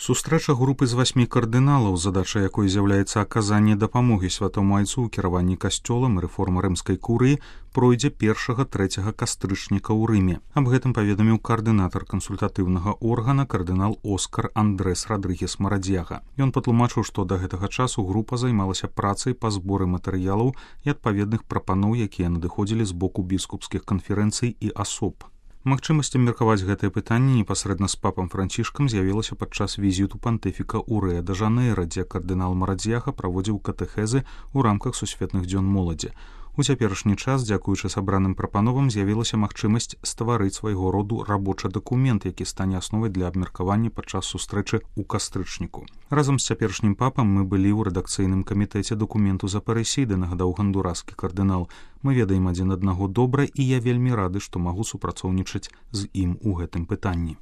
Сустрэча групы з 8 кардыналаў, задача якой з'яўляецца аказанне дапамогі святому айцу ў кіраванні касцёлам і рэформа рымскай курыі, пройдзе 1-3 кастрычніка ў Рыме. Аб гэтым паведаміў каардынатар кансультатыўнага органа кардынал Оскар Андрес Радрыгес Марадзьяга. Ён патлумачыў, што да гэтага часу група займалася працай па зборы матэрыялаў і адпаведных прапаноў, якія надыходзілі з боку біскупскіх канферэнцый і асоб. Магчымасць абмеркаваць гэтае пытанне непасрэдна з папам Францішкам з'явілася падчас візіту пантыфіка ў Рыа-дэ-Жанэйра, дзе кардынал Марадзьяга праводзіў катэхезы ў рамках сусветных дзён моладзі. У цяперашні час, дзякуючы сабраным прапановам, з'явілася магчымасць стварыць свайго роду рабочы дакумент, які стане асновай для абмеркавання падчас сустрэчы ў кастрычніку. Разам з цяперашнім папам мы былі ў рэдакцыйным камітэце дакументу з Апарэсіды, нагадаў гондураскі кардынал. Мы ведаем адзін аднаго добра, і я вельмі рады, што магу супрацоўнічаць з ім у гэтым пытанні.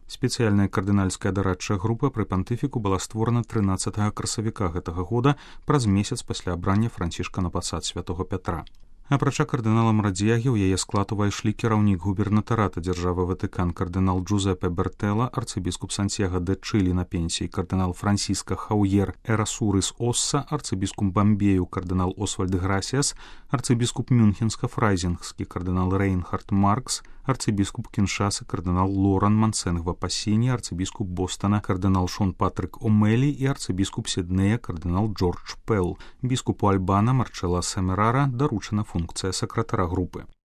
Спецыяльная кардынальская дарадчая група пры пантыфіку была створана 13 красавіка гэтага года, праз месяц пасля абрання Францішка на пасад святого Пятра. Апрача кардынала Марадзьягі, ў яе склад увайшлі кіраўнік губернатарата дзяржавы Ватыкан кардынал Джузепе Бертэлла, арцыбіскуп Сантьяго де Чилі на пенсіі кардынал Франсіска Хаўер Эрасурыс Осса, арцыбіскуп Бамбею кардынал Освальд Грасіас, арцыбіскуп Мюнхенска-Фрайзінгскі кардынал Рейнхард Маркс, арцыбіскуп Кіншасы кардынал Лоран Мансенгва Пасіні, арцыбіскуп Бостона кардынал Шон Патрык Омелі і арцыбіскуп Сіднея кардынал Джордж Пэл. Біскупу Альбана Марчела Семерара даручана функцыя сакратара групы.